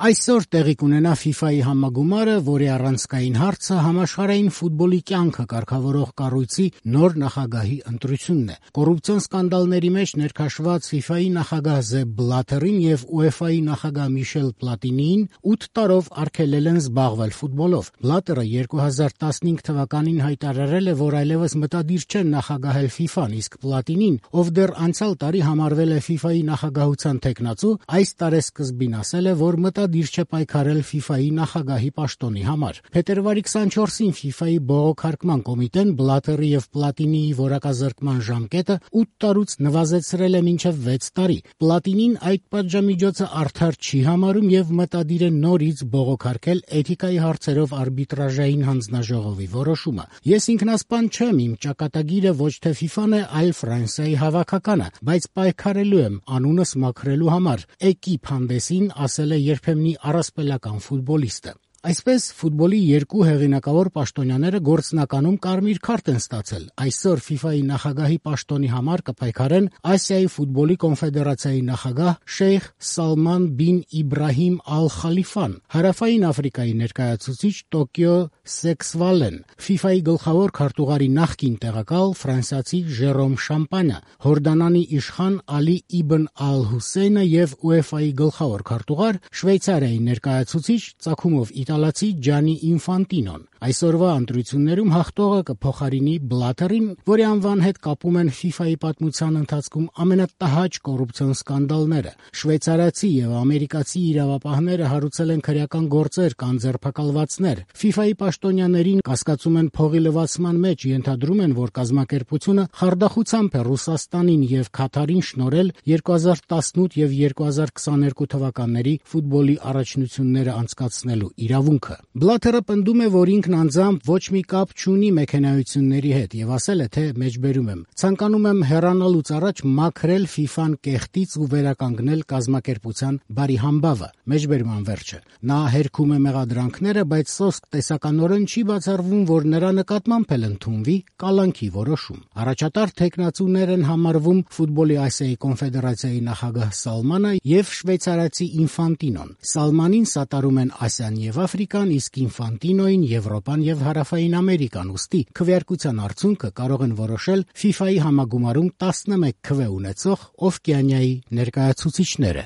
Այսօր տեղի կունենա FIFA-ի համագումարը, որի առանցքային հարցը համաշխարհային ֆուտբոլի կյանքը կարգավորող կառույցի նոր նախագահի ընտրությունն է։ Կոռուպցիոն սկանդալների մեջ ներքաշված FIFA-ի նախագահ Սեփ Բլաթերին եւ UEFA-ի նախագահ Միշել Պլատինիին 8 տարով արգելել են զբաղվել ֆուտբոլով։ Բլաթերը 2015 թվականին հայտարարել է, որ այլևս մտադիր չէ նախագահել FIFA-ն, իսկ Պլատինին, ով դեռ անցյալ տարի համարվել է FIFA-ի նախագահության թեկնածու, այս տարեսկզբին ասել է, որ մտադիր չէ պայքարել FIFA-ի նախագահի պաշտոնի համար։ Փետրվարի 24-ին FIFA-ի բողոքարկման կոմիտեն Բլաթերի եւ Պլատինիի որակազրկման ժամկետը 8 տարուց նվազեցրել է մինչեւ 6 տարի։ Պլատինին այդ պատժամիջոցը արդար չի համարում եւ մտադիր է նորից բողոքարկել էթիկայի հարցերով արբիտրաժային հանձնաժողովի որոշումը։ Ես ինքնասպան չեմ, իմ ճակատագիրը ոչ թե FIFA-ն է, այլ Ֆրանսիայի հավաքականը, բայց պայքարելու եմ անունս մաքրելու համար, Էկիպ հանդեսին ասել է երբեմնի առասպելական ֆուտբոլիստը։ Այսպես ֆուտբոլի երկու հեղինակավոր պաշտոնյաները գործնականում կարմիր քարտ են ստացել։ Այսօր FIFA-ի նախագահի պաշտոնի համար կպայքարեն Ասիայի ֆուտբոլի կոնֆեդերացիայի նախագահ Շեյխ Սալման բին Իբրահիմ Ալ-Խալիֆան, Հարավային Աֆրիկայի ներկայացուցիչ Տոկիո Սեքսվալեն, FIFA-ի գլխավոր քարտուղարի նախկին տեղակալ ֆրանսիացի Ժերոմ Շամպանյա, Հորդանանի իշխան Ալի Իբն Ալ-Հուսեյնը եւ UEFA-ի գլխավոր քարտուղար Շվեյցարիայի ներկայացուցիչ ծագումով իտալացի Ջանի Ինֆանտինոն։ Այսօրվա ընտրություններում հաղթողը կփոխարինի Բլաթերին, որի անվան հետ կապում են FIFA-ի պատմության ընթացքում ամենատհաճ կոռուպցիոն սկանդալները։ Շվեյցարացի եւ ամերիկացի իրավապահները հարուցել են քրեական գործեր կամ ձերբակալվածներ։ FIFA-ի պաշտոնյաներին կասկածում են փողի լվացման մեջ, ենթադրում են, որ կազմակերպությունը խարդախությամբ է Ռուսաստանին եւ Քաթարին շնորհել 2018 եւ 2022 թվականների ֆուտբոլի առաջնությունները անցկացնելու իրավունքը։ Բլաթերը պնդում է, որ ինքն անձամբ ոչ մի կապ չունի մեքենայությունների հետ եւ ասել է, թե մեջբերում եմ. ցանկանում եմ հեռանալուց առաջ մաքրել FIFA-ն կեղտից ու վերականգնել կազմակերպության բարի համբավը։ Մեջբերման վերջը։ Նա հերքում է մեղադրանքները, բայց սոսկ տեսականորեն չի բացառվում, որ նրա նկատմամբ էլ ընդունվի կալանքի որոշում։ Առաջատար թեկնածուներ են համարվում ֆուտբոլի Ասիայի կոնֆեդերացիայի նախագահ Սալմանը եւ շվեյցարացի Ինֆանտինոն։ Սալմանին սատարում են Ասիան եւ Աֆրիկան, իսկ Ինֆանտինոին Եվրոպան եւ Հարավային Ամերիկան, ուստի քվեարկության արդյունքը կարող են որոշել FIFA-ի համագումարում 11 քվե ունեցող Օվկիանիայի ներկայացուցիչները։